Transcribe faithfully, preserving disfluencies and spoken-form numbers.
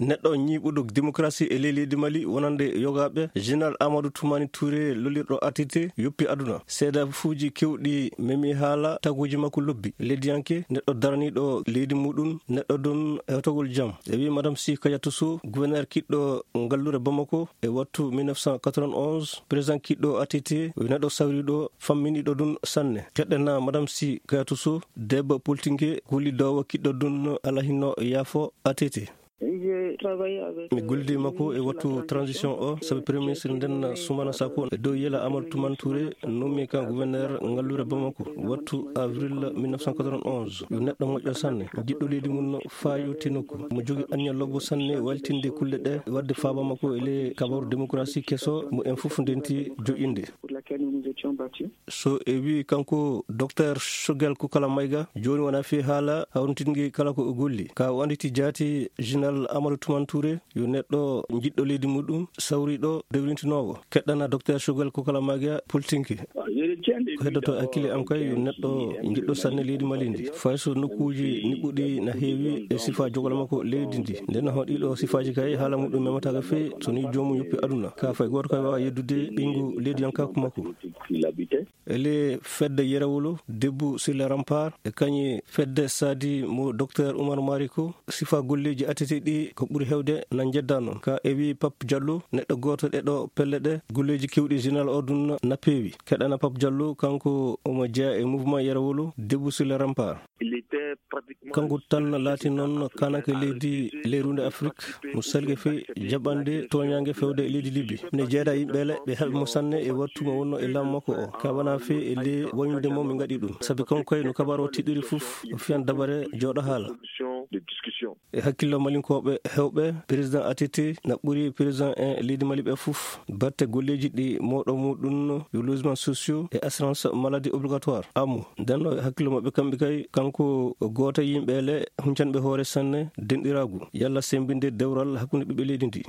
Neɗɗo ñiiɓuɗo démocratie e ley leydi Mali wonande yogaaɓe, Général Amadou Toumani Touré, lollirɗo A T T, yoppi aduna. Seedafuuji kewɗi memi haala, taguuji makko lobbi. Leydiyanke, neɗɗo daraniiɗo leydi muɗum, neɗɗo ɗum hewtagol jam. E wi Madame Si Kayatu Sow, gouverneur kiɗɗo ngallure Bamako e wattu mille neuf cent quatre-vingt-onze, président kiɗɗo A T T, o neɗɗo sawriiɗo, famminiiɗo ɗum sanne. Keɗɗena Madame Si Kayatu Sow, debbo politique, gollidoowo kiɗɗo ɗum alaa hinno yaafo A T T. Mi gollidi makko e wattu transition o, sabi Premier Ministre nden Soumana Sakou e dow yela Amadou Toumani Touré, nomi kan gouverneur ngallure Bamako, wattu avril mille neuf cent quatre-vingt-onze. Yo neɗɗo moƴƴo sanne, jiɗɗo leydi mum faayo tinokku. Mo jogi anniya lobbo sanne, waltinde kulle ɗe, wadde faaba makko e le kabaru démocratie keso, mo en fof ndenti joƴƴinde. So e wi kanko Docteur Choguel Kokala Maïga, jooni wona fi haala hawritingi kala ko o golli. Ka o anditi jaati Général Amadou Toumani Touré, yo neɗɗo jiɗɗo leydi muɗum, sawriɗo, dewrintinoowo. Keɗɗana Docteur Choguel Kokala Maïga politique. Ko heddoto hakkille am kay, yo neɗɗo jiɗɗo sanne leydi Mali ndi. Fay so nokkuuji niɓɓuɗi na heewi e sifa jogol makko leydi ndi. Nden hoɗiɗo sifaaji kay haala muɗum memataaka fey, so ni joomum yoppi aduna. Ka fay gooto kay waawa yeddude ɓeyngu leydiyankaaku makko. E le fedde Yerewolo, Debout sur les remparts, e kañi fedde Sadi mo Docteur Oumar Mariko, sifa golleeji A T T ɗi ko ɓuri hewde na njedda noon. Ka e wi Pape Diallo, neɗɗo gooto e ɗo pelle ɗe, golleeji kewɗi Général o ɗum na peewi. Keɗana Pape Diallo, kanko omo jeya e mouvement Yerewolo, Debout sur les remparts. Kanko tan laati noon kananke leydi leyrunde Afrik, mo salke fey jaɓande tooñaange fewde e leydi Libi. Ne jeeda yimɓe le, ɓe haɓi mo sanne e wattu mo wonno e laamu makko o. Ka wona fey e le wañude mo mi ngaɗi ɗum. Sabi kanko kay no kabaru o tiɗɗiri fof, o fiyan dabare jooɗo haala. E hakkillo malinkooɓe hewɓe, président A T T na ɓuri président en leydi Mali ɓe fof. Batte golleeji ɗi mooɗo muɗum yo logement sociaux e assurance maladie obligatoire. Amu, nden no hakkillo maɓɓe kamɓe kay, kanko gooto e yimɓe le huncanɓe hoore sanne denɗiraagu. Yalla sembinde dewral hakkunde ɓiɓɓe leydi ndi.